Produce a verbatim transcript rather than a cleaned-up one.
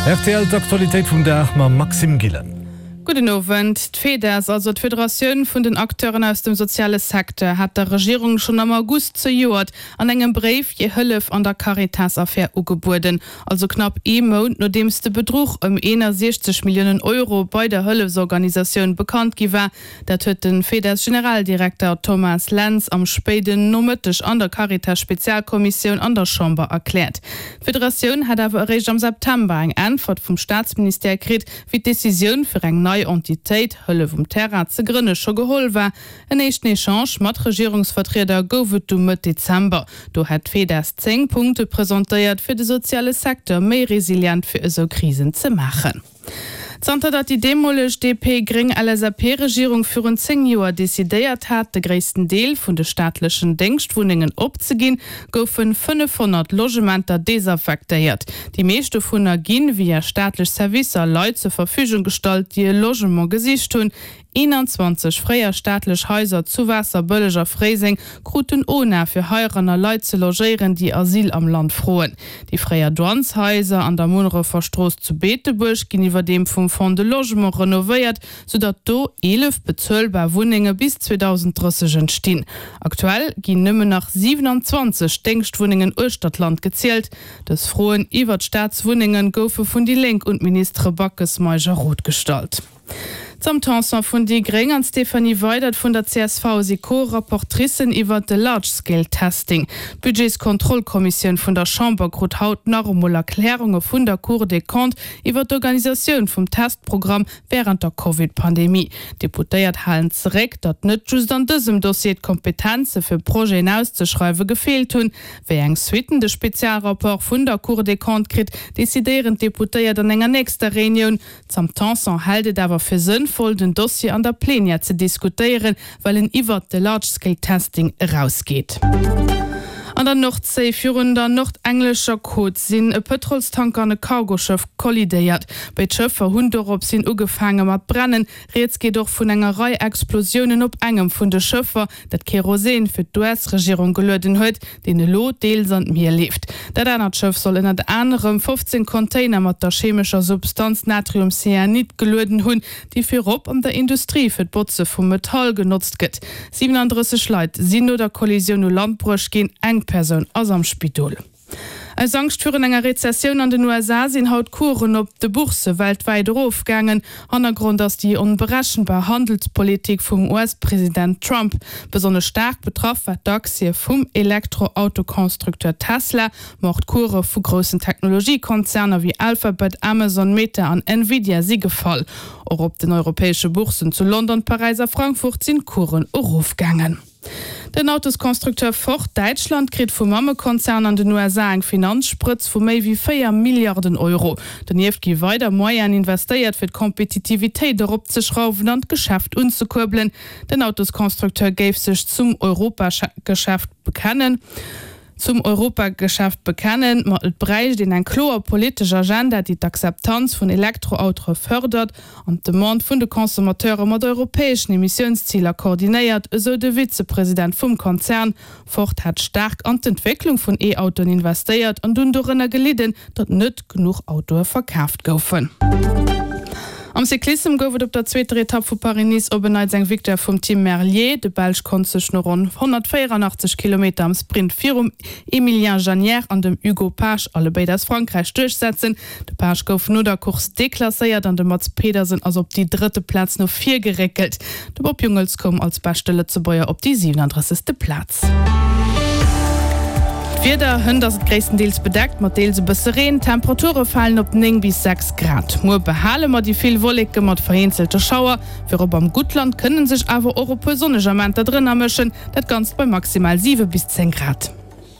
Rtl d'Aktualitéit vum Dag mam Maxime Gillen. Gudden Owend. D'FEDES, also d'Federatioun vun den Acteuren aus dem soziale Secteur, hat der Regierung schonn am August zejoert an engem Bréif hir Hëllef an der Caritas-Affär ugebueden. Also knapp ee Mount nodeems de Bedruch ëm eenasiechzeg Milliounen Euro bei der Hëllefsorganisatioun bekannt gi war. Dat huet de FEDES-Generaldirekter Thomas Lentz am spéiden Nomëtteg an der Caritas-Spezialkommissioun an der Chamber erkläert. D'Federatioun hätt awer eréischt am September eng Äntwert vum Staatsministère kritt, wéi d'Decisioun fir eng nei Entitéit, Hëllef um Terrain, ze grënne scho geholl war. En éischten Echange mat Regierungsvertrieder gouf et du Mëtt Dezember. Do hätt d'FEDES zéng Punkte presentéiert, fir de soziale Secteur méi resilient fir esou Krisen ze maachen. Zanter datt déi deemoleg D P-Gréng-L S A P-Regierung virun zéng Joer decidéiert hat, de gréissten Deel vun de staatlechen Déngschtwunnengen opzeginn, goufe fënnefhonnert Logementer desaffektéiert. Déi meescht dovunner ginn via staatlech Servicer Leit zur Verfügung gestallt, déi e Logement gesicht hunn. Eenanzwanzeg fréier staatlech Haiser zu Waasserbëlleg a Fréiseng kruten O N A fir heiranner Leit ze logéieren, déi Asyl am Land froen. Déi fréier Douaneshaiser an der Munnerefer Strooss zu Beetebuerg ginn iwwerdeem vum Fonds de Logement renovéiert, soudatt do eelef bezuelbar Wunnenge bis zweedausendrësseg entstinn. Aktuell ginn nëmmen nach siwenanzwanzeg Déngschtwunnengen uechter d'Land gezielt. Dës Froen iwwer d'Staatswunnenge goufe vun déi Lénk un d'Ministere Backes, Meisch a Roth gestallt. D'Sam Tanson vun déi Gréng an d'Stéphanie Weydert vun der C S V si Co-Rapportricen iwwer de Large-Scale Testing. D'Budgetskontrollkommissioun vun der Chamber krut haut nach emol Erklärunge vun der Cour des Comptes iwwer d'Organisatioun vum Testprogramm wärend der Covid-Pandemie. D'Deputéiert halen zeréck, datt net just an dësem Dossier d'Kompetenze fir Projeten auszeschreiwe gefeelt hunn. Wéi eng Suitten de Spezialrapport vun der Cour des Comptes kritt, decidéieren d'Deputéiert an enger nächster Reunioun. D'Sam Tanson hält et awer fir sënnvoll, den Dossier an der Plenière ze diskutéieren, well en iwwert de Large-Scale Testing erausgeet. An der Nordséi virun der nordenglescher Côte sinn e Pëtrolstanker an e Cargoschëff kollidéiert. Béid Schëffer hunn dorops hin ugefaange mat brennen. Rieds geet och vun enger Rei Explosiounen op engem vun de Schëffer, dat Kerosin fir d'U S-Regierung gelueden huet, deen elo deels an d'Mier leeft. Dat anert Schëff soll ënnert anerem fofzéng Container mat der chemescher Substanz Natriumcyanid gelueden hunn, déi virop an der Industrie fir d'Botze vu Metall genotzt gëtt. siwenandrësseg Leit sinn no der Kollisioun u Land bruecht ginn, eng Persoun ass am Spidol. Aus Angscht virun enger Rezessioun an den U S A sinn haut d'Coursen op de Bourse weltwäit erofgaangen. Hannergrond ass déi onberechenbar Handelspolitik vum U S-President Trump. Besonnesch staark betraff war d'Aktie vum Elektroautoconstructeur Tesla, ma och d'Course vu groussen Technologiekonzerner wéi Alphabet, Amazon, Meta an Nvidia si gefall. Och op den europäesche Bourssen zu London, Paräis a Frankfurt sinn d'Coursen erofgaangen. Den Autosconstructeur Ford Däitschland kritt vum Mammekonzern an den U S A eng Finanzsprëtz vu méi wéi véier Milliarden Euro. Donieft gi weider Moyenen investéiert, fir d'Kompetitivitéit eropzeschrauwen an d'Geschäft unzekuerbelen. Den Autosconstructeur géif sech zum Europageschäft bekennen. Zum Europageschäft bekennen, ma et bräicht een eng kloer politesch Agenda, déi d'Akzeptanz vun Elektroautoe fërdert an d'Demande vun de Consommateure mat europäeschen Emissiounsziler koordinéiert, esou de Vizepresident vum Konzern. Ford hat staark an d'Entwécklung vun E-Autoen investéiert an dunn dorënner gelidden, datt net genuch Autoe verkaaft goufen. Am Cyclissem gouf et op der zweeter Etapp vu Paris-Nice op en Neits eng Victoire vum Tim Merlier. De Belsch konnt sech no ronn honnertvéieranachtzeg Kilometer am Sprint virum Emilien Jeannière an dem Hugo Page, allebéid aus Frankräich, duerchsetzen. De Page gouf no der Course deklasséiert an de Mads Pedersen ass op déi drëtte Plaz no vir geréckelt. De Bob Jungels koum als beschte Lëtzebuerger op déi siwenandrëssegste Plaz. D'Wieder, Hënt ass et gréisstendeels bedeckt mat deels e bësse Reen. D'Temperature falen op néng bis sechs Grad. Muer behale mer déi vill Wolleke mat vereenzelte Schauer. Virop am Guttland kënne sech awer och e puer sonneg Amenter drënner mëschen, dat Ganzt bei maximal siwe bis zéng Grad.